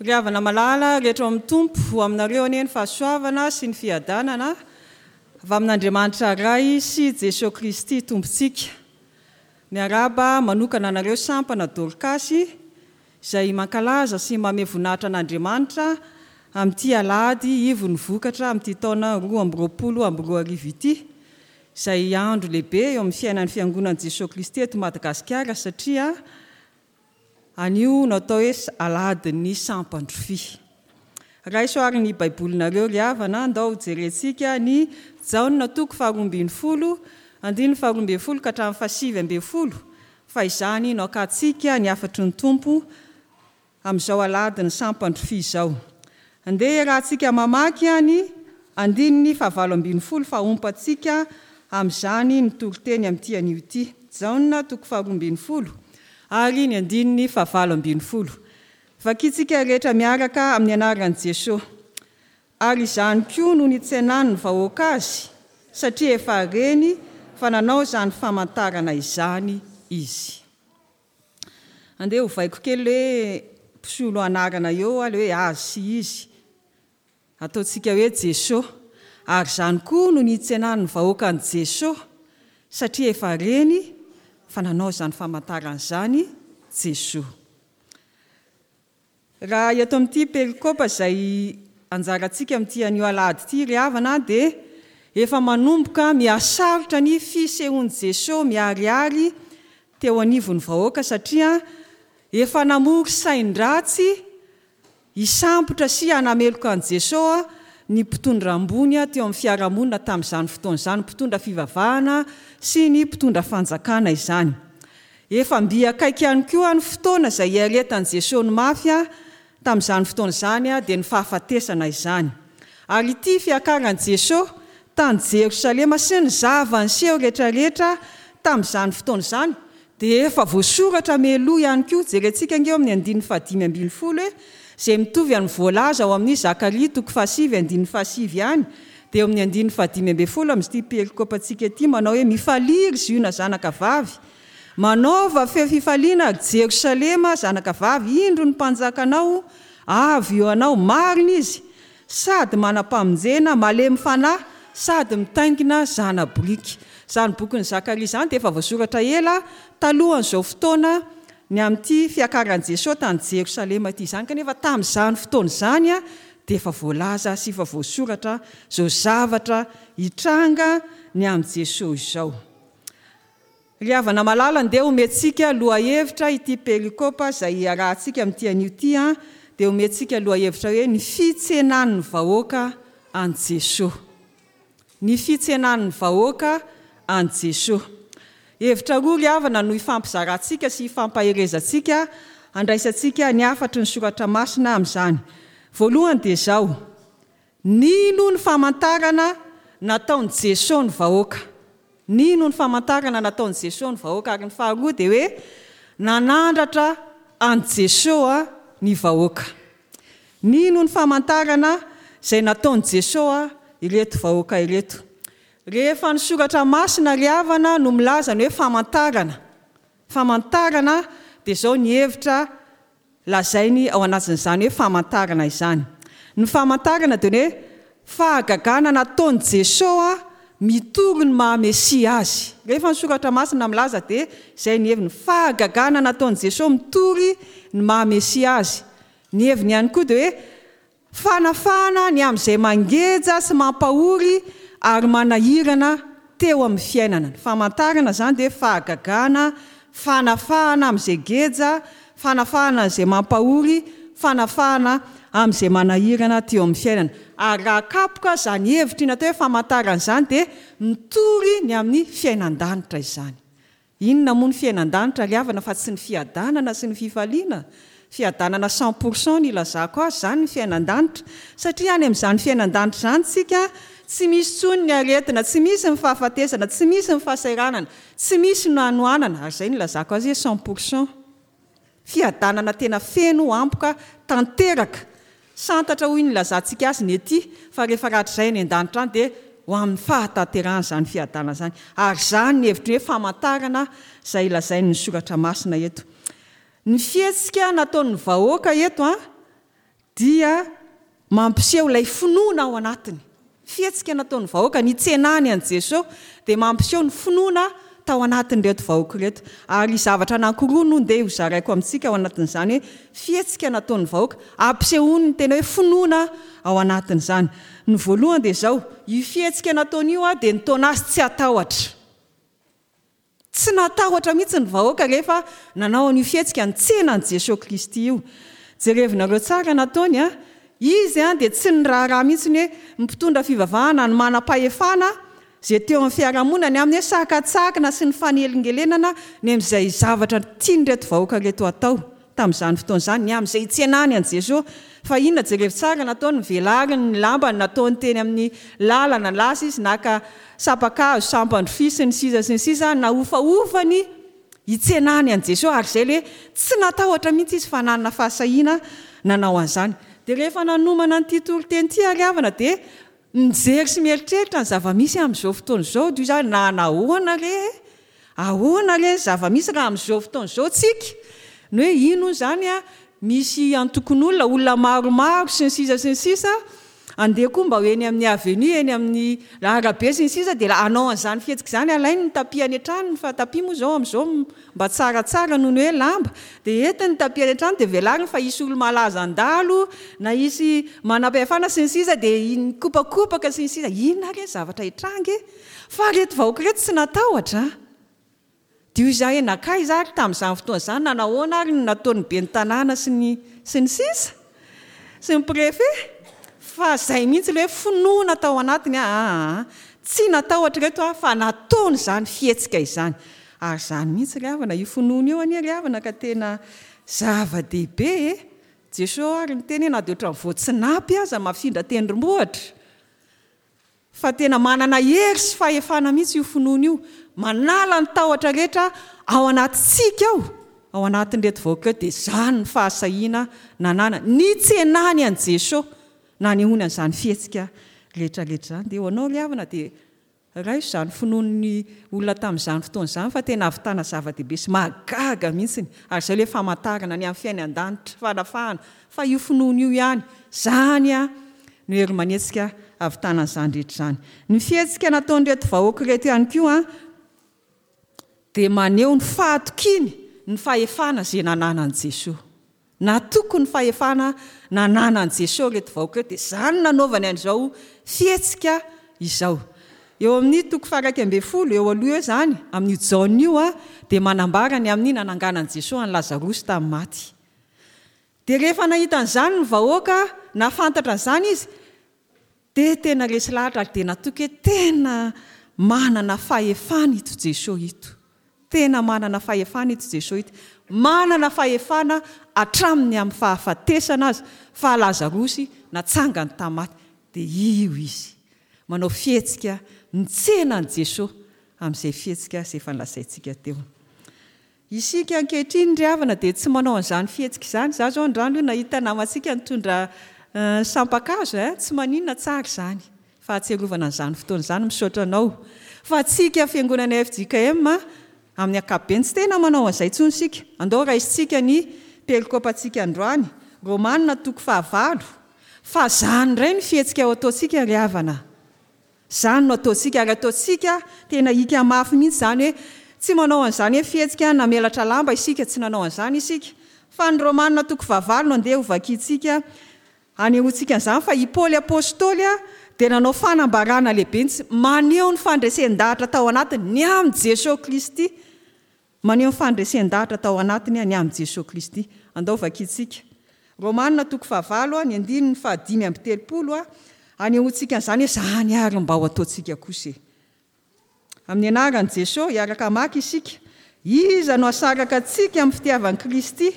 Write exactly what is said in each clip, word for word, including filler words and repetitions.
Ry havana malala rehetra ao amin'ny Tompo, ho aminareo anie ny fahasoavana sy ny fiadanana avy amin'Andriamanitra Ray sy Jesoa Kristy Tompontsika. Miarahaba manokana anareo sampana Dorkasy izay mankalaza sy mamehy voninahitra an'Andriamanitra amin'ity alahady ivon'ny vokatra amin'ity taona roa amby roapolo amby roa arivo ity, izay andro lehibe eo amin'ny fiainan'ny Fiangonan'i Jesoa Kristy eto Madagasikara satria anio no atao hoe alahadin'ny sampandrofia. Raiso ary ny Baibolinareo ry havana, andao jerentsika ny Jaona toko faharoa ambin'ny folo, andininy faharoa ambin'ny folo ka hatramin'ny fahasivy ambin'ny folo, fa izany no hakantsika ny hafatry ny Tompo amin'izao alahadin'ny sampandrofia izao. Andeha iarahantsika mamaky ny andininy fahavalo ambin'ny folo fa ompantsika amin'izany ny toriteny amin'ity anio ity. Jaona toko faharoa ambin'ny folo ary ny andininy fahavalo ambin'ny folo. Vakintsika rehetra miaraka amin'ny anaran'i Jesoa. Ary izany koa no nitsenan'ny vahoaka azy, satria efa reny fa nanao izany famantarana izany izy. Andeha hovaiko kely hoe mpisolo anarana eo, le hoe azy sy izy. Ataontsika hoe Jesoa. Ary izany koa no nitsenan'ny vahoaka an'i Jesoa, satria efa reny fa nanao izany famantarana izany Jesoa. Raha eto amin'ity perikopa izay anjarantsika amin'ity anio alahady ity ry havana, dia efa manomboka mihasarotra ny fisehoan'i Jesoa miharihary teo anivon'ny vahoaka, satria efa namory sain-dratsy hisambotra sy hanameloka an'i Jesoa ny mpitondra ambony teo amin'ny fiarahamonina tamin'izany fotoana izany, mpitondra fivavahana sy ny mpitondra fanjakana izany. Efa mby akaiky ihany koa ny fotoana izay hiaretan'i Jesoa ny mafy tamin'izany fotoana izany, dia ny fahafatesana izany. Ary ity fiakaran'i Jesoa tany Jerosalema sy ny zava-niseho rehetrarehetra tamin'izany fotoana izany dia efa voasoratra mialoha ihany koa. Jerentsika ange eo amin'ny andininy fahadimy ambin'ny folo hoe izay mitovy amin'ny voalaza ao amin'ny Zakaria toko fahasivy andininy fahasivy ihany, dia eo amin'ny andininy fahadimy ambin'ny folo amin'ity perikopantsika ity manao hoe mifalia ry Ziona zanaka vavy, manaova feo fifaliana ry Jerosalema zanaka vavy, indro ny mpanjakanao avy eo anao, marina izy sady manam-pamonjena, malemy fanahy sady mitaingina zana-boriky. Izany bokin'ny Zakaria izany dia efa voasoratra ela talohan'izao fotoana ny amin'ity fiakaran'i Jesoa tany Jerosalema ity izany, kanefa tamin'izany fotoana izany dia efa voalaza sy efa voasoratra izao zavatra hitranga ny amin'i Jesoa izao. Ry havana malala, andeha omentsika lohahevitra ity perikopa izay iarahantsika amin'ity anio ity, dia omentsika lohahevitra hoe ny fitsenan'ny vahoaka an'i Jesoa. Ny fitsenan'ny vahoaka an'i Jesoa. Hevitra roa ry havana no hifampizarantsika sy hifampaherezantsika handraisantsika ny hafatry ny soratra masina amin'izany. Voalohany dia izao: nino ny famantarana nataon'i Jesoa ny vahoaka. Nino ny famantarana nataon'i Jesoa ny vahoaka. Ary ny faharoa dia hoe nanandratra an'i Jesoa ny vahoaka. Nino ny famantarana izay nataon'i Jesoa ireto vahoaka ireto. Rehefa ny soratra masina ry havana no milaza ny hoe famantarana. Famantarana dia izao ny hevitra lazainy ao anatin'izany hoe famantarana izany. Ny famantarana dia ny hoe fahagagana nataon'i Jesoa mitory ny maha Mesia azy. Rehefa ny soratra masina milaza dia izay ny heviny, fahagagana nataon'i Jesoa mitory ny maha Mesia azy. Ny heviny ihany koa dia hoe fanafahana ny amin'izay mangeja sy mampahory ary manahirana teo amin'ny fiainana. Ny famantarana izany dia fahagagana, fanafahana amin'izay geja, fanafahana amin'izay mampahory, fanafahana amin'izay manahirana teo amin'ny fiainana. Ary raha kapoka izany hevitra iny atao hoe famantarana izany dia mitory ny amin'ny fiainan-danitra izany. Inona moa ny fiainan-danitra ry havana fa tsy ny fiadanana sy ny fifaliana? Fiadanana cent pour cent ny ilazako azy izany ny fiainan-danitra, satria any amin'izany fiainan-danitra izany tsika tsy misy intsony ny aretina, tsy misy ny fahafatesana, tsy misy ny fahasahiranana, tsy misy ny hanoanana. Ary izay ny ilazako azy hoe cent pour cent. Fiadanana tena feno, ampoka, tanteraka. Santatra hoy ny ilazantsika azy ny ety, fa rehefa rahatrizay any an-danitra any dia ho amin'ny fahatanterahana izany fiadanana izany. Ary izany ny hevitry ny hoe famantarana izay lazain'ny soratra masina eto. Ny fihetsika nataon'ny vahoaka eto a dia mampiseho ilay finoana ao anatiny. Fihetsika nataon'ny vahoaka nitsenany an'i Jesosy dia mampiseho ny finoana tao anatin'ireto vahoaka ireto. Ary zavatra anankiroa no ndeha ho zaraiko amintsika ao anatin'izany hoe fihetsika nataon'ny vahoaka ampisehoany ny tena hoe finoana ao anatin'izany. Ny voalohany dia izao, io fihetsika nataony io dia nitaona azy tsy hatahotra. Tsy natahotra mihitsy ny vahoaka rehefa nanao an'io fihetsika nitsena an'i Jesosy Kristy io. Jerevinareo tsara nataony a, izy a dia tsy niraharaha mihitsy ny hoe mpitondra fivavahana ny manam-pahefana izay teo amin'ny fiarahamonina ny amin'ny hoe sakatsakana sy ny fanelingelenana ny amin'izay zavatra tian'ireto vahoaka ireto atao tamin'izany fotoana izany, ny amin'izay hitsenany an'i Jesosy. Fa inona, jerevo tsara nataony, nivelariny ny lambany, nataony teny amin'ny lalana, lasa izy naka sapakazo, sampandrofia sy ny sisa sy ny sisa, nahofahofany hitsenany an'i Jesosy. Ary izay le tsy natahotra mihitsy izy fa nanana fahasahiana nanao an'izany. Dia rehefa nanomana an'ity toriteny ity ary havana dia mijery sy mieritreritra ny zava-misy amin'izao fotoana izao, dia izany na nahoana re, ahoana re ny zava-misy raha amin'izao fotoana izao tsika, ny hoe ino izany a, misy antokon'olona, olona maromaro sy ny sisa sy ny sisa, andeha koa mba ho eny amin'ny avenue, eny amin'ny arabe sy ny sisa, dia hanao an'izany fihetsika izany, alainy ny tapis any an-tranony, fa tapis moa izao amin'izao mba tsaratsara noho ny hoe lamba, dia entiny ny tapis any an-trano, dia velariny fa hisy olo malaza andalo, na hisy manam-pahefana sy ny sisa, dia nikopakopaka sy ny sisa. Inona ary ny zavatra hitranga e? Fa ireto vahoaka ireto tsy natahotra. Dia izahay nakaiza ary tamin'izany fotoana izany, nanahoana ary ny nataon'ny ben'ny tanàna sy ny sy ny sisa sy ny préfet, fa izay mihitsy ilay hoe finoana tao anatiny, aa tsy natahotra ireto aho fa nataony izany fihetsika izany. Ary izany mihitsy ry havana, io finoana io anie ry havana ka tena zava-dehibe e. Jesosy ary niteny hoe na dia ohatran'ny voatsinapy aza mafindra tendrombohitra, fa tena manana hery sy fahefana mihitsy io finoana io, manala ny tahotra rehetra ao anatintsika ao, ao anatin'ireto vahoaka ireo. Dia izany ny fahasahiana nanana nitsenany an'i Jesosy, nanehoany an'izany fihetsika rehetrarehetra izany. Dia ho anao ry havana dia raiso izany finoan'ny olona tamin'izany fotoana izany, fa tena ahavitana zava-dehibe sy mahagaga mihitsy. Ary izay ilay famantarana ny amin'ny fiainan-danitra, fanafahana, fa io finoana io ihany, izany a no hery manetsika ahavitana an'izany rehetra izany. Ny fihetsika nataon'ireto vahoaka ireto ihany koa dia maneho ny fahatokiany ny fahefana izay nananan'i Jesosy. Natoky ny fahefana nananan'i Jesosy ireto vahoaka ireto, dia izany nanaovany an'izao fihetsika izao. Eo amin'ny toko faha-iraika ambin'ny folo, eo aloha eo izany, amin'io Jaona io a, dia manambara ny amin'ny nananganan'i Jesosy an'i Lazarosy tamin'ny maty. Dia rehefa nahita an'izany ny vahoaka, nahafantatra an'izany izy, dia tena resy lahatra ary dia natoky hoe tena manana fahefana ito Jesosy ito. Tena manana fahefana ito Jesosy ito. Manana fahefana hatramin'ny amin'ny fahafatesana azy, fa Lazarosy natsangany tamin'ny maty. Dia io izy manao fihetsika mitsena an'i Jesosy amin'izay fihetsika izay efa nolazaintsika teo. Isika ankehitriny ry havana dia tsy manao an'izany fihetsika izany. Izaho izao androany aloha nahita namantsika nitondra sampakazo, eh, tsy maninona, tsara izany fahatsiarovana an'izany fotoana izany, misaotra anao. Fa tsika fiangonana F J K M amin'ny ankapobeny tsy tena manao an'izay intsony isika. Andao raisintsika ny perikopantsika androany, Romanina toko fahavalo. Fa izany indray ny fihetsika ao ataontsika ry havana. Izany no ataontsika, ary ataontsika tena hika mafy mihitsy izany hoe tsy manao an'izany hoe fihetsika namelatra lamba isika, tsy nanao an'izany isika. Fa ny Romanina toko fahavalo no andeha hovakintsika hanehoantsika an'izany, fa i Paoly Apostoly dia nanao fanambarana lehibe mihitsy, maneho ny fandresen-dahatra tao anatiny ny amin'i Jesosy Kristy. Maneho ny fandresen-dahatra tao anatiny ny amin'i Jesosy Kristy. Andao vakintsika. Romanina toko fahavalo, ny andininy fahadimy amby telopolo, hanehoantsika an'izany hoe izany ary mba ho ataontsika kosa e. Amin'ny anaran'i Jesosy, hiaraka hamaky isika. Iza no hasaraka antsika amin'ny fitiavan'i Kristy?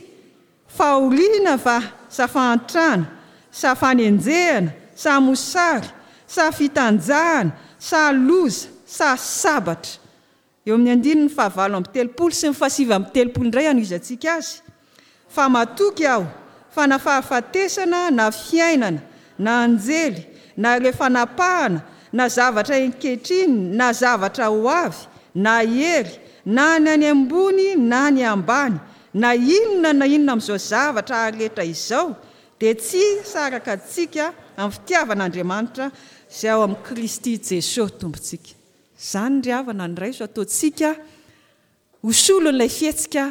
Fahoriana va, sa fahantrana, sa fanenjehana, sa mosary, sa fitanjahana, sa loza, sa sabatra? Eo amin'ny andininy fahavalo amby telopolo sy ny fahasivy amby telopolo indray hanohizantsika azy. Fa matoky aho fa na fahafatesana, na fiainana, na anjely, na ireo fanapahana, na zavatra ankehitriny, na zavatra ho avy, na hery, na ny any ambony, na ny ambany, na inona na inona amin'izao zavatra rehetra izao, dia tsy hisaraka antsika amin'ny fitiavan'Andriamanitra izay ao amin'i Kristy Jesosy Tompontsika. Izany ry havana no raiso ataontsika ho solon'ilay fihetsika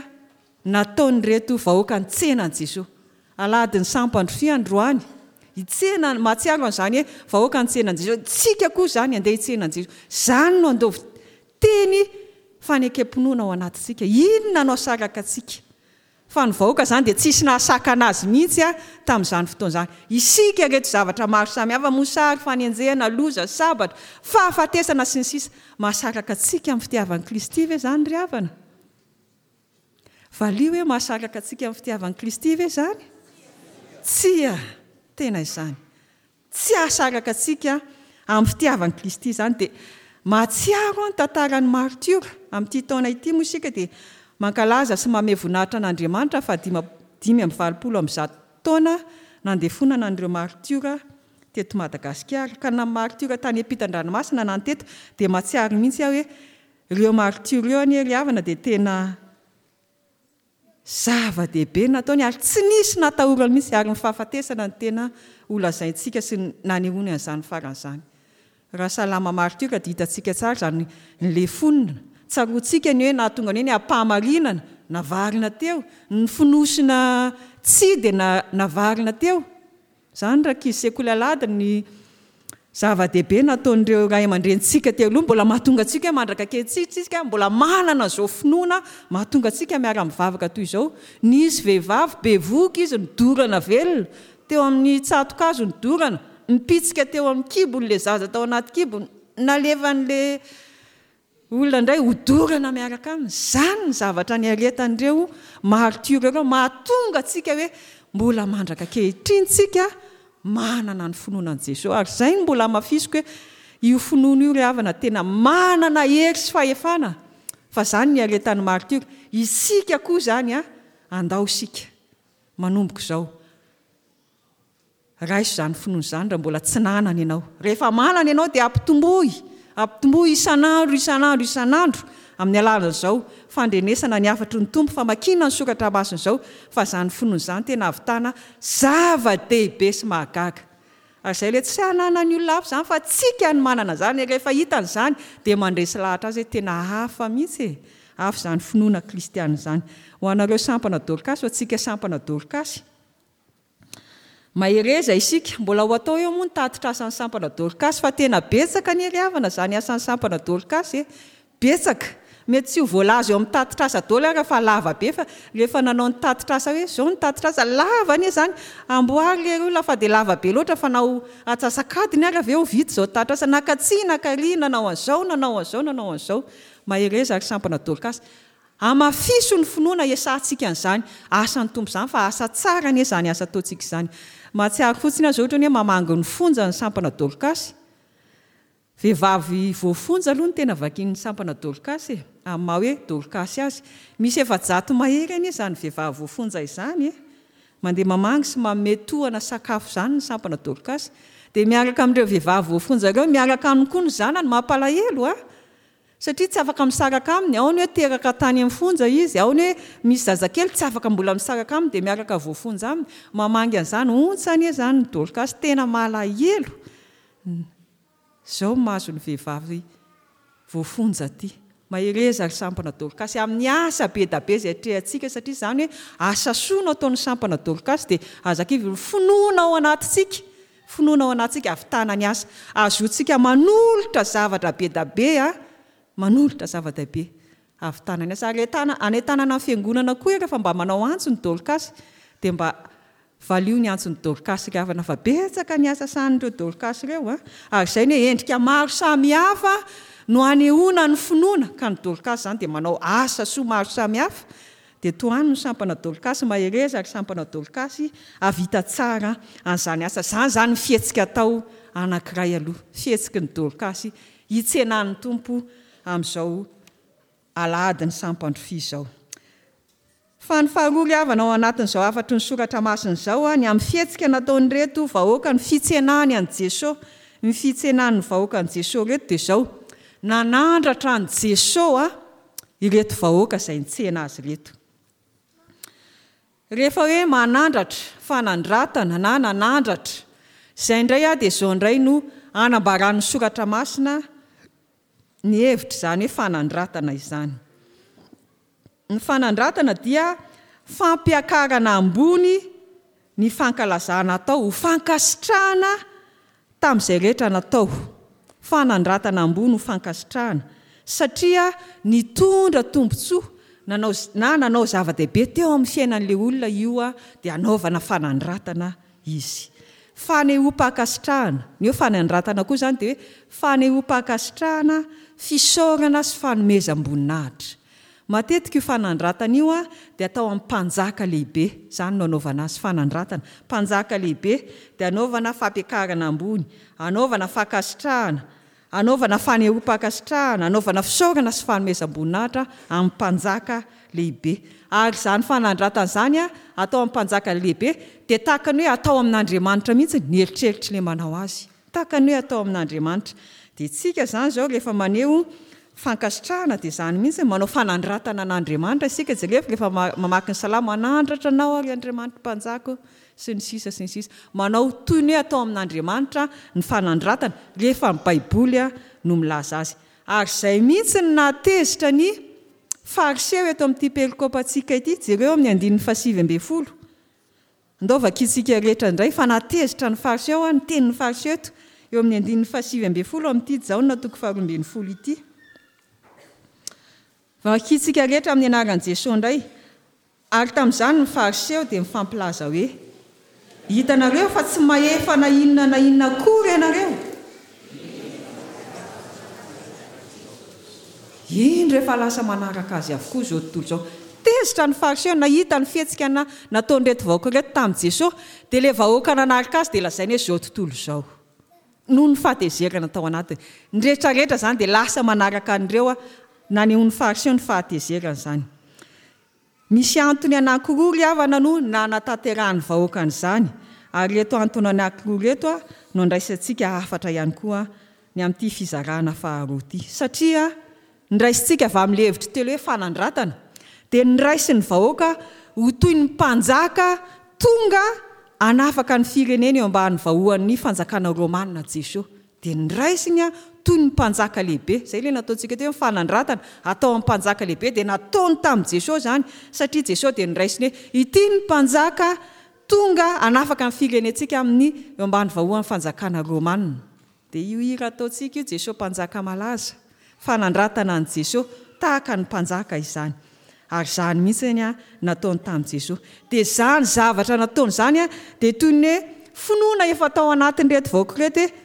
nataon'ireto vahoaka nitsena an'i Jesosy. Alahadin'ny sampandrofia androany, hitsena, mahatsiaro an'izany hoe vahoaka nitsena an'i Jesosy. Tsika koa izany andeha hitsena an'i Jesosy. Izany no andeha teny fanekem-pinoana ao anatintsika. Inona no asaraka antsika? Fa ny vahoaka izany dia tsisy nahasakana azy mihitsy a tamin'izany fotoana izany. Isika ireto zavatra maro samihafa, mosary, fanenjehana, loza, sabatra, fahafatesana sy ny sisa. Mahasaraka antsika amin'ny fitiavan'i Kristy ve izany ry havana? Valio hoe mahasaraka antsika amin'ny fitiavan'i Kristy ve izany? Tsia, tena izany. Tsy hahasaraka antsika amin'ny fitiavan'i Kristy izany. Dia mahatsiaro ny tantaran'ny martiora. Amin'ity taona ity moa isika dia mankalaza sy mamehy voninahitra an'Andriamanitra fa dimy amby valopolo amby zato taona nandefonana an'ireo martiora teto Madagasikara. Ka na martiora tany ampitan-dranomasina na ny teto dia mahatsiaro mihitsy aho hoe ireo martiora ireo anie ry havana dia tena zava-dehibe nataony ary tsy nisy natahorany mihitsy, ary ny fahafatesana ny tena ho lazaintsika sy nanehoany an'izany faran'izany. Raha salama martiora dia hitantsika tsara izany ny lefonina. Tsaroantsika ny hoe nahatonga ny hoe ny ampahamarinana navarina teo, ny fonosina tsy dia navarina teo. Izany rankizy sekoly alahady ny zava-dehibe nataon'ireo ray aman-drenintsika teo aloha, mbola mahatonga antsika mandraka ankehitriny isika, mbola manana izao finoana mahatonga antsika miara-mivavaka toy izao. Nisy vehivavy bevohoka izy nidorana velona teo amin'ny tsatokazo nidorana, nipitsika teo amin'ny kibony ilay zaza tao anaty kibony, nalefan'ilay olona indray hodorana miaraka aminy. Izany ny zavatra niaretan'ireo martiora ireo, mahatonga antsika hoe mbola mandraka ankehitriny tsika manana ny finoana an'i Jesosy. Ary izay no mbola hamafisiko hoe io finoana io ry havana tena manana hery sy fahefana, fa izany ny niaretan'ny martiora. Isika koa izany a, andao isika manomboka izao. Raiso izany finoana izany raha mbola tsy nanana ianao. Rehefa manana ianao dia ampitomboy, ampitomboy isan'andro, isan'andro, isan'andro amin'ny alalan'izao fandrenesana ny hafatry ny Tompo, famakiana ny soratra masina izao, fa izany finoana izany tena ahavitana zava-dehibe sy mahagaga. Ary izay ilay tsy hananan'ny olona hafa izany, fa tsika no manana izany. Rehefa hitany izany dia mandresy lahatra azy hoe tena hafa mihitsy e, hafa izany finoana kristiana izany. Ho anareo sampana Dorkasy, ho antsika sampana Dorkasy, mahereza isika. Mbola ho atao eo moa ny tatitra asan'ny sampana Dorkasy, fa tena betsaka ny ry havana izany asan'ny sampana Dorkasy e, betsaka. Mety tsy ho voalaza eo amin'ny tatitra asa daholo ary fa lava be, fa rehefa nanao ny tatitra asa hoe izao ny tatitra asa, lava anie izany, amboary le olona fa dia lava be loatra, fa nao atsasakadiny ary avy eo vita izao tatitra asa, nakatsy nakary, nanao an'izao, nanao an'izao, nanao an'izao. Mahereza ary sampana Dorkasy. Hamafiso ny finoana iesahantsika an'izany asan'ny Tompo izany, fa asa tsara anie izany asa ataontsika izany. Mahatsiaro fotsiny aho izao ohatra ny hoe mamangy ny fonja ny sampana Dorkasy. Vehivavy voafonja aloha no tena vakian'ny sampana Dorkasy e, amin'ny maha hoe Dorkasy azy. Misy efajato mahery anie izany vehivavy voafonja izany e. Mandeha mamangy sy manome tohana sakafo izany ny sampana Dorkasy. Dia miaraka amin'ireo vehivavy voafonja ireo, miaraka aminy koa ny zanany, mampalahelo a. Satria tsy afaka misaraka aminy, ao ny hoe teraka tany amin'ny fonja izy, ao ny hoe misy zazakely tsy afaka mbola misaraka aminy dia miaraka voafonja aminy. Mamangy an'izany, ontsa anie izany ny Dorkasy, tena malahelo. Izao mahazo ny vehivavy voafonja aty. Mahereza ry sampana Dorkasy amin'ny asa be da be izay atrehantsika, satria izany hoe asa soa no ataon'ny sampana Dorkasy dia aza kivy, ny finoana ao anatintsika, finoana ao anatintsika ahavitana ny asa. Ahazoantsika manolotra zavatra be da be a, manolotra zava-dehibe ahavitana ny asa. Ary entana, anentanana ny fiangonana koa rehefa mba manao antso ny Dorkasy dia mba valio ny antson'ny Dorkasy ry havana, fa betsaka ny asa sahanin'ireo Dorkasy ireo a. Ary izay ny endrika maro samihafa no anehoana ny finoana, ka ny Dorkasy izany dia manao asa soa maro samihafa. Dia tohano ny sampana Dorkasy, mahereza ry sampana Dorkasy, hahavita tsara an'izany asa izany. Izany ny fihetsika atao anankiray aloha, fihetsiky ny Dorkasy hitsenan'ny Tompo amin'izao alahadin'ny sampandrofia izao. Fa ny faharoa ry havana ao anatin'izao hafatry ny soratra masina izao, ny amin'ny fihetsika nataon'ireto vahoaka, ny fitsenany an'i Jesosy, ny fitsenan'ny vahoaka an'i Jesosy ireto dia izao, nanandratra an'i Jesosy ireto vahoaka izay nitsena azy ireto. Rehefa hoe manandratra, fanandratana na nanandratra, izay indray dia izao indray no anambaran'ny Soratra Masina ny hevitra izany hoe fanandratana izany. Ny fanandratana dia fampiakarana ambony ny fankalazana atao ho fankasitrahana tamin'izay rehetra natao. Fanandratana ambony ho fankasitrahana satria nitondra tombontsoa nanao na nanao zava-dehibe teo amin'ny fiainan'ilay olona io dia anaovana fanandratana izy. Fanehoam-pankasitrahana. Ny hoe fanandratana koa izany dia hoe fanehoam-pankasitrahana, fisaorana sy fanomezam-boninahitra. Matetika io fanandratana io dia atao amin'ny mpanjaka lehibe. Izany no anaovana azy, fanandratana. Mpanjaka lehibe dia anaovana fampiakarana ambony, anaovana fankasitrahana, anaovana fanehoam-pankasitrahana, anaovana fisaorana sy fanomezam-boninahitra amin'ny mpanjaka lehibe. Ary izany fanandratana izany atao amin'ny mpanjaka lehibe dia tahaka ny hoe atao amin'Andriamanitra mihitsy ny eritreritr'ilay manao azy. Tahaka ny hoe atao amin'Andriamanitra. Dia tsika izany izao rehefa maneho fankasitrahana dia izany mihitsy manao fanandratana an'Andriamanitra isika. Jereo rehefa mamaky ny salamo, manandratra anao ary Andriamanitra mpanjaka sy ny sisa sy ny sisa. Manao toy ny hoe atao amin'Andriamanitra ny fanandratana rehefa ny Baiboly no milaza azy. Ary izay mihitsy no nahatezitra ny Fariseo eto amin'ity perikopantsika ity. Jereo amin'ny andininy fahasivy ambin'ny folo. Ndao vakintsika rehetra indray fa nahatezitra ny Fariseo, ny tenin'ny Fariseo eto eo amin'ny andininy fahasivy ambin'ny folo amin'ity Jaona toko faharoa ambin'ny folo ity. Vakintsika rehetra amin'ny anaran'i Jesoa indray. Ary tamin'izany ny Fariseo dia mifampilaza hoe: hitanareo fa tsy mahefa na inona na inona akory ianareo. Indro efa lasa manaraka azy avokoa izao tontolo izao. Tezitra ny Fariseo nahita ny fihetsika na nataon'ireto vahoaka ireto tamin'i Jesoa, dia ilay vahoaka nanaraka azy dia lazainy hoe izao tontolo izao. Noho ny fahatezerana tao anatiny. Ny rehetrarehetra izany dia lasa manaraka an'ireo, nanehoan'ny Fariseo ny fahatezerana izany. Misy antony anankiroa ry havana no nanatanterahan'ny vahoaka an'izany, ary ireto antony anankiroa ireto no andraisantsika hafatra ihany koa ny amin'ity fizarana faharoa ity. Satria niraisintsika avy amin'ilay hevitra telo hoe fanandratana, dia niraisin'ny vahoaka ho toy ny mpanjaka tonga hanafaka ny firenena eo ambany vahoan'ny fanjakana romana Jesoa. Dia niraisiny toy ny mpanjaka lehibe. Izay ilay nataontsika teo hoe fanandratana atao amin'ny mpanjaka lehibe, dia nataony tamin'i Jesoa izany, satria Jesoa dia niraisiny hoe ity ny mpanjaka tonga hanafaka ny firenentsika amin'ny eo ambany vahoan'ny fanjakana romana. Dia io hira ataontsika io, Jesoa mpanjaka malaza, fanandratana an'i Jesoa tahaka ny mpanjaka izany. Ary izany mihitsy ny nataony tamin'i Jesoa. Dia izany zavatra nataony izany dia toy ny hoe finoana efa tao anatin'ireto vahoaka ireto hoe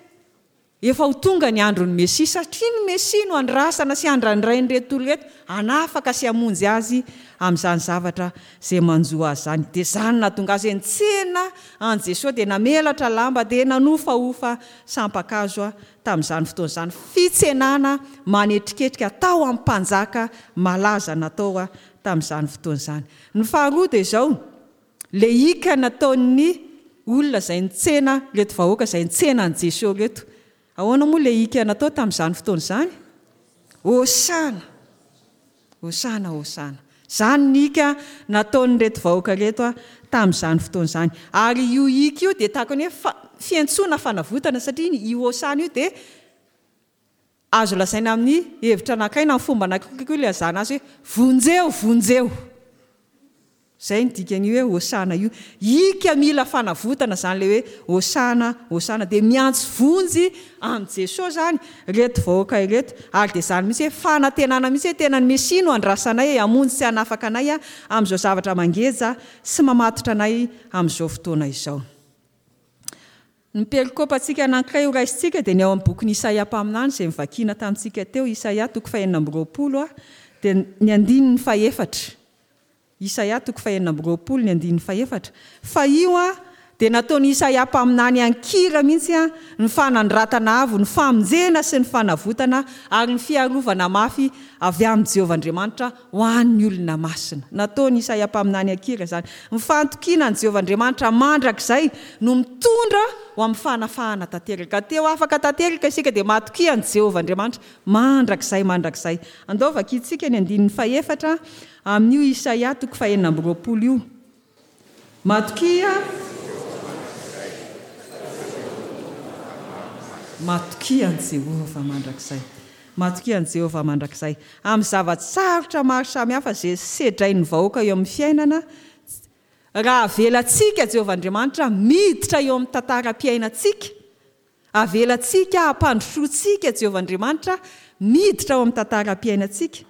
efa ho tonga ny andron'ny Mesia, satria ny Mesia no andrasana sy andrandrain'ireto olona ireto hanafaka sy hamonjy azy amin'izany zavatra izay manjo azy izany. Dia izany nahatonga azy hoe nitsena an'i Jesoa, dia namelatra lamba, dia nanofahofa sampan-kazo tamin'izany fotoana izany. Fitsenana manetriketrika tao amin'ny mpanjaka malaza natao tamin'izany fotoana izany. Ny faharoa dia izao, lehika nataon'ny olona izay nitsena ireto vahoaka izay nitsena an'i Jesoa ireto. Ahoana moa lehika natao tamin'izany fotoana izany? Hosana! Hosana, hosana. Izany ny hika nataon'ireto vahoaka ireto tamin'izany fotoana izany. Ary io hika io dia tahaka ny hoe fiantsoana fanavotana, satria io hosana io dia azo lazaina amin'ny hevitra anankiray na amin'ny fomba anankiray koa ilazana azy hoe vonjeo, vonjeo. Izay ny dikan'io hoe hosana io. Hika mila fanavotana izany ilay hoe hosana, hosana. Dia miantso vonjy amin'i Jesoa izany ireto vahoaka ireto. Ary dia izany mihitsy hoe fanantenana mihitsy hoe tena ny Mesia no andrasanay hamonjy sy hanafaka anay amin'izao zavatra mangeja sy mamatotra anay amin'izao fotoana izao. Ny perikopantsika anankiray ho raisintsika dia ny ao amin'ny bokin'i Isaia mpaminany izay novakiana tamintsika teo, Isaia toko fahenina amby roapolo dia ny andininy fahefatra. Isaia toko fahenina amby roapolo ny andininy fahefatra. Fa io dia nataon'i Isaia mpaminany an-kira mihitsy ny fanandratana avo, ny famonjena sy ny fanavotana ary ny fiarovana mafy avy amin'i Jehovah Andriamanitra ho an'ny olona masina. Nataon'i Isaia mpaminany an-kira izany. Ny fahantokiana an'i Jehovah Andriamanitra mandrakizay no mitondra ho amin'ny fanafahana tanteraka. Teo afaka tanteraka isika dia matokia an'i Jehovah Andriamanitra mandrakizay mandrakizay. Andao vakintsika ny andininy fahefatra amin'io Isaia toko fahenina amby roapolo io. Matokia. Matokia an'i Jehovah mandrakizay. Matokia an'i Jehovah mandrakizay. Amin'ny zava-tsarotra maro samihafa izay sedrain'ny vahoaka eo amin'ny fiainana, raha avelantsika Jehovah Andriamanitra miditra eo amin'ny tantaram-piainantsika, avelantsika hampandrosoantsika Jehovah Andriamanitra miditra ao amin'ny tantaram-piainantsika,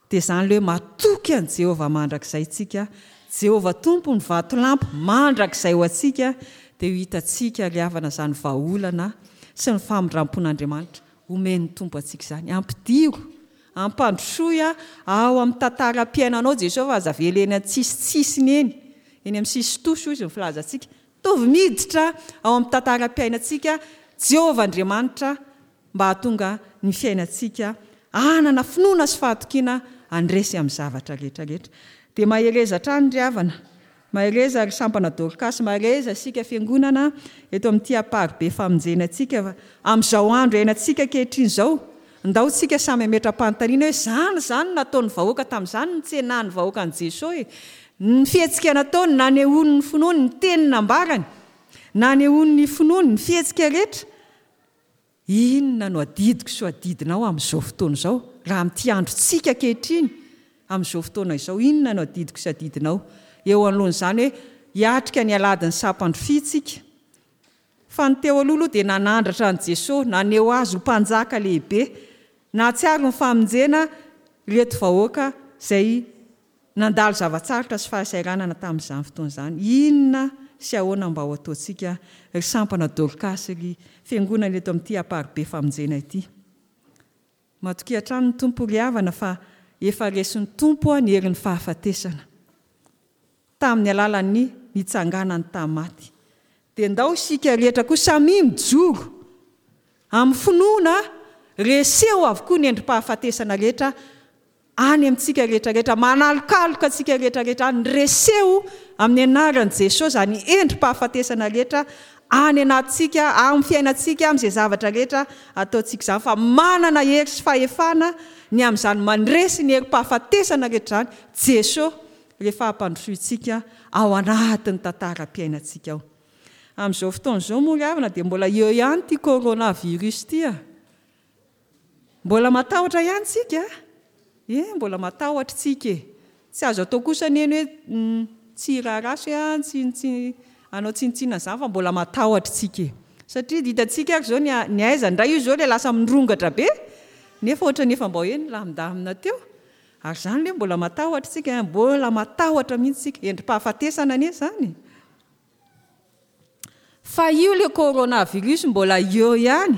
dia izany ilay hoe matoky an'i Jehovah mandrakizay tsika. Jehovah Tompo ny vatolampy mandrakizay ho antsika, dia ho hitantsika ry havana izany vahaolana sy ny famindram-pon'Andriamanitra omen'ny Tompo antsika izany. Ampidiro, ampandrosoy ao amin'ny tantaram-piainanao Jesosy, fa aza avela eny an-tsisitsisiny eny, eny amin'ny sisintosy hoy izy ny filazantsika. Tovy miditra ao amin'ny tantaram-piainantsika Jehovah Andriamanitra mba hahatonga ny fiainantsika hanana finoana sy fahatokiana handresy amin'ny zavatra rehetra rehetra. Dia mahereza hatrany ry havana, mahereza ry sampana Dorcas, mahereza isika fiangonana eto amin'ity Amparibe famonjena antsika fa amin'izao andro iainantsika ankehitriny izao, ndao tsika samy hametra-panontaniana hoe izany izany no nataon'ny vahoaka tamin'izany, nitsenan'ny vahoaka an'i Jesosy e. Ny fihetsika nataony, nanehoany ny finoany, ny teny nambarany, nanehoany ny finoany, ny fihetsika rehetra. Inona no adidiko sy ho adidinao amin'izao fotoana izao, raha amin'ity androntsika ankehitriny, amin'izao fotoana izao, inona no adidiko sy adidinao eo anoloan'izany hoe hiatrika ny alahadin'ny sampandrofia tsika? Fa ny teo aloha aloha dia nanandratra an'i Jesosy, naneho azy ho mpanjaka lehibe, nahatsiaro ny famonjena ireto vahoaka izay nandalo zava-tsarotra sy fahasahiranana tamin'izany fotoana izany. Inona sy ahoana mba ho ataontsika ry sampana Dorcas, ry fiangonana eto amin'ity Amparibe famonjena ity? Matokia hatrany ny Tompo ry havana fa efa resin'ny Tompo ny herin'ny fahafatesana tamin'ny alalan'ny nitsanganany tamin'ny maty. Dia ndao isika rehetra koa samy mijoro amin'ny finoana, reseo avokoa ny endri-pahafatesana rehetra any amintsika rehetra rehetra, manalokaloka antsika rehetra rehetra any, reseo amin'ny anaran'i Jesosy izany endri-pahafatesana rehetra any anatintsika, amin'ny fiainantsika, amin'izay zavatra rehetra ataontsika izany, fa manana hery sy fahefana ny amin'izany mandresy ny herim-pahafatesana rehetra izany Jesosy rehefa hampandrosointsika ao anatin'ny tantaram-piainantsika ao. Amin'izao fotoana izao moa ry havana dia mbola eo ihany ity coronavirus ity a. Mbola matahotra ihany tsika. E, mbola matahotra tsika e. Tsy azo atao kosa anie ny hoe tsy raharaha hoe tsy tsy hanao tsinontsinona izany fa mbola matahotra tsika e. Satria hitantsika ary izao ny ny aiza indray io izao ilay lasa mirongatra be, nefa ohatran'ny efa mba hoe nilamindamina teo. Ary izany ilay mbola matahotra tsika, mbola matahotra mihitsy tsika. Endri-pahafatesana anie izany. Fa io ilay coronavirus mbola eo ihany.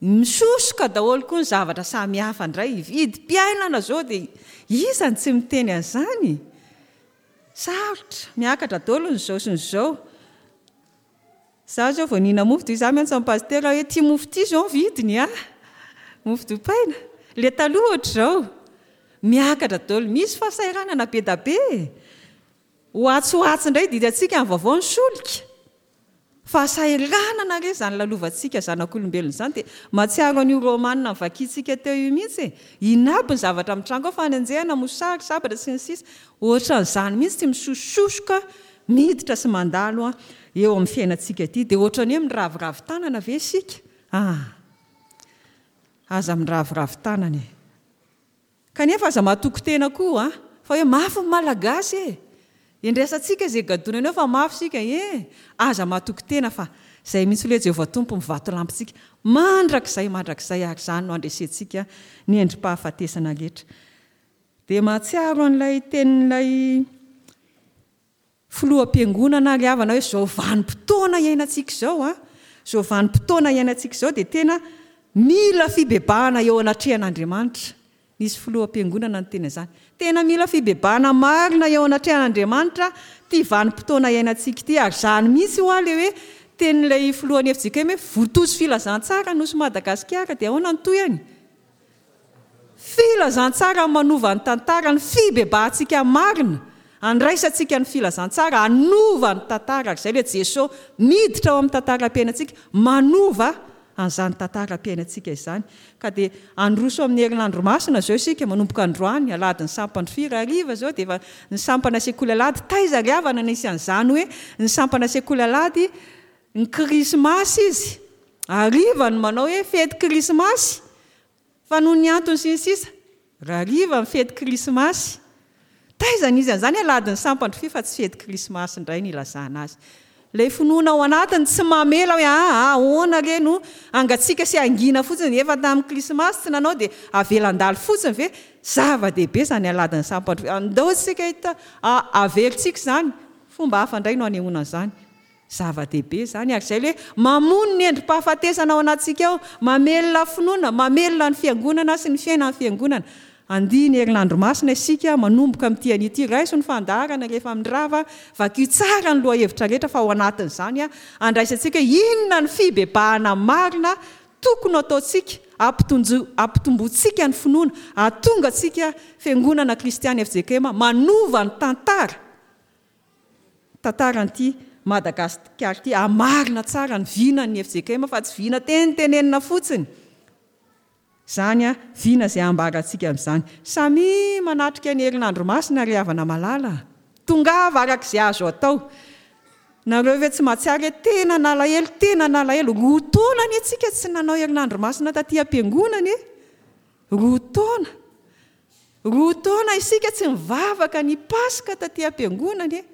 Misosoka daholo koa ny zavatra samihafa indray. Vidim-piainana izao dia iza no tsy miteny an'izany? Sarotra, miakatra daholo ny izao sy ny izao. Izaho izao vao nihinana mofo dia izaho miantso amin'ny pasitera hoe ity mofo ity izao ny vidiny a. Mofo dipaina. Ilay taloha ohatr'izao. Miakatra daholo. Misy fahasahiranana be dia be. Ho atsy ho atsy indray didantsika ny vaovao ny solika. Fahasahiranana re izany lalovantsika zanak'olombelona izany. Dia mahatsiaro an'io Romanina novakintsika teo io mihitsy e. Inona aby ny zavatra mitranga ao, fanenjehana, mosary, sabatra sy ny sisa. Ohatran'izany mihitsy tsy misososoka miditra sy mandalo eo amin'ny fiainantsika ity. Dia ohatran'ny hoe miraviravy tanana ve isika? Ah, aza miraviravy tanana e. Kanefa aza matoky tena koa fa hoe mafy ny Malagasy e. Endraisantsika izay gadonana eo fa mafy isika e. Aza matoky tena fa izay mihitsy ilay Jehovah Tompo mivatolampintsika mandrakizay mandrakizay, ary izany no andresentsika ny endri-pahafatesana rehetra. Dia mahatsiaro an'ilay tenin'ilay filoham-piangonana ry havana hoe izao vanim-potoana iainantsika izao a, izao vanim-potoana iainantsika izao dia tena mila fibebahana eo anatrehan'Andriamanitra. Nisy filoham-piangonana niteny an'izany. Tena mila fibebahana marina eo anatrehan'Andriamanitra ity vanim-potoana iainantsika ity. Ary izany mihitsy ho ahy ilay hoe tenin'ilay filohan'ny F J K M hoe votozo filazantsara nosy Madagasikara, dia ahoana ny tohiny? Filazantsara manova ny tantara, ny fibebahantsika marina, andraisantsika ny filazantsara, hanova ny tantara. Ary izay ilay Jesosy miditra ao amin'ny tantaram-piainantsika, manova an'izany tantaram-piainantsika izany. Ka dia handroso amin'ny herinandro masina izao isika, manomboka androany, alahadin'ny sampana firy hariva izao, dia efa ny sampana sekoly alahady. Taiza ry havana nisy an'izany hoe ny sampana sekoly alahady, ny krismasy izy, hariva no manao hoe fety krismasy, fa noho ny antony sy ny sisa, raha hariva ny fety krismasy. Taiza nisy an'izany alahadin'ny sampana firy fa tsy fety krismasy indray ny ilazana azy. Ilay finoana ao anatiny tsy mamela hoe ah, ahoana re no hangatsiaka sy hangina fotsiny, efa tamin'ny krismasy tsy nanao dia avela handalo fotsiny ve? Zava-dehibe izany alahadin'ny sampana firy. Andao isika hita, averintsika izany, fomba hafa indray no hanehoana an'izany. Zava-dehibe izany, ary izay ilay hoe mamono ny endri-pahafatesana ao anatintsika ao, mamelona finoana, mamelona ny fiangonana sy ny fiainan'ny fiangonana. Andihy ny herinandro masina isika manomboka amin'ity anio ity. Raiso ny fandaharana rehefa mirava, vakio tsara ny lohahevitra rehetra fa ao anatin'izany andraisantsika hoe inona ny fibebahana marina tokony ho ataontsika, hampitonjo-, hampitomboantsika ny finoana, hahatonga antsika fiangonana kristiana F J K M manova ny tantara, tantaran'ity Madagasikara ity, hamarina tsara ny vinan'ny F J K M fa tsy vina tenitenenina fotsiny. Izany a, vina izay ambarantsika amin'izany. Samy manatrika ny herinandro masina ry havana malala. Tongava araka izay azo atao. Nareo ve tsy mahatsiaro hoe tena nalahelo, tena nalahelo. Roa taona anie tsika tsy nanao herinandro masina taty am-piangonana e. Roa taona. Roa taona isika tsy nivavaka ny Paska taty am-piangonana e.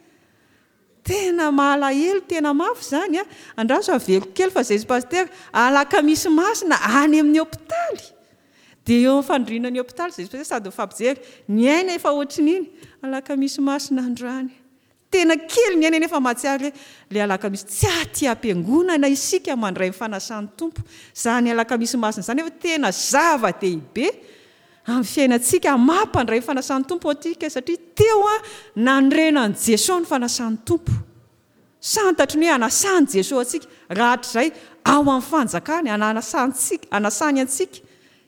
Tena malahelo, tena mafy izany a. Andraso averiko kely fa izay pasitera, alakamisy masina any amin'ny hopitaly. Dia eo amin'ny fandriana ny hopitaly izay pasitera sady mifampijery. Ny aina efa ohatrin'iny, alakamisy masina androany. Tena kely ny aina nefa mahatsiaro hoe ilay alakamisy tsy aty am-piangonana isika mandray ny fanasan'ny Tompo. Izany alakamisy masina izany efa tena zava-dehibe amin'ny fiainantsika, mampandray ny fanasan'ny Tompo antsika satria teo a nanorenan'i Jesoa ny fanasan'ny Tompo. Santatry ny hoe anasan'i Jesoa antsika rahatrizay ao amin'ny fanjakany, anasantsika, anasany antsika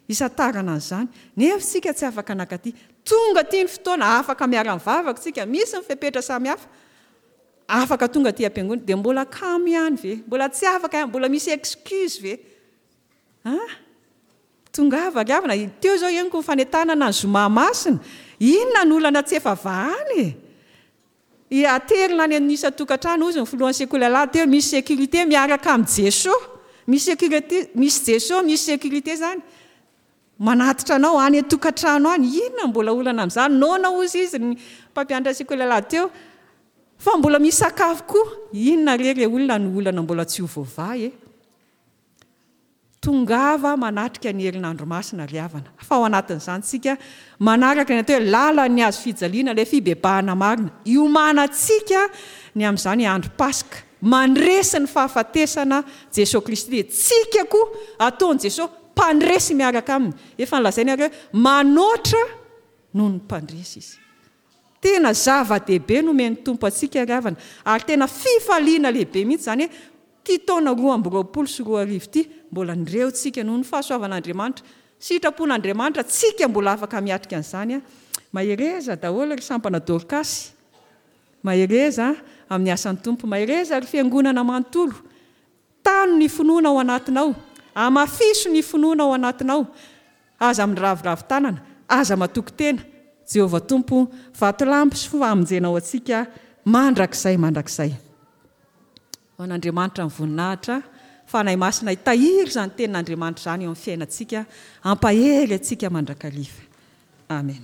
isantarana an'izany. Nefa isika tsy afaka nankaty. Tonga aty ny fotoana, afaka miara-mivavaka isika, misy ny fepetra samihafa. Afaka tonga aty am-piangonana, dia mbola kamo ihany ve? Mbola tsy afaka ihany, mbola misy excuse ve? Ha? Tongava ry havana, teo izao henoko ny fanentanana ny zoma masina. Inona no olana tsy efa vahana e? I aterina any amin'ny isan-tokantrano, hozy ny filohan'ny sekoly alahady teo, misy sécurité miaraka amin'i Jesoa. Misy sécurité, misy Jesoa, misy sécurité izany. Manatitra anao any an-tokantrano any. Inona mbola olana amin'izany? Noana hozy izy ny mpampianatra sekoly alahady teo. Fa mbola misy sakafo koa. Inona re re olona no olana mbola tsy ho voavaha e? Tongava manatrika ny herinandro masina ry havana. Fa ao anatin'izany tsika manaraka ny atao hoe lalan'ny hazo fijaliana, ilay fibebahana marina. Iomanantsika ny amin'izany andro Paska. Mandresy ny fahafatesana Jesoa Kristy. Dia tsika koa ataon'i Jesoa mpandresy miaraka aminy. Efa nolazainy ary hoe manoatra noho ny mpandresy izy. Tena zava-dehibe nomen'ny Tompo antsika ry havana. Ary tena fifaliana lehibe mihitsy izany hoe ty taona roa amby roapolo sy roa arivo ty mbola nireontsika noho ny fahasoavan'Andriamanitra, sitrapon'Andriamanitra, tsika mbola afaka miatrika an'izany a. Mahereza daholo ry sampana Dorkasy. Mahereza amin'ny asan'ny Tompo. Mahereza ry fiangonana manontolo. Tano ny finoana ao anatinao. Amafiso ny finoana ao anatinao. Aza miraviravy tanana, aza matoky tena. Jehovah Tompo, vatolampy sy famonjena ho antsika mandrakizay mandrakizay. Ho an'Andriamanitra ny voninahitra, Fanahy Masina hitahiry izany tenin'Andriamanitra izany eo amin'ny fiainantsika, hampahery antsika mandrakariva. Amen.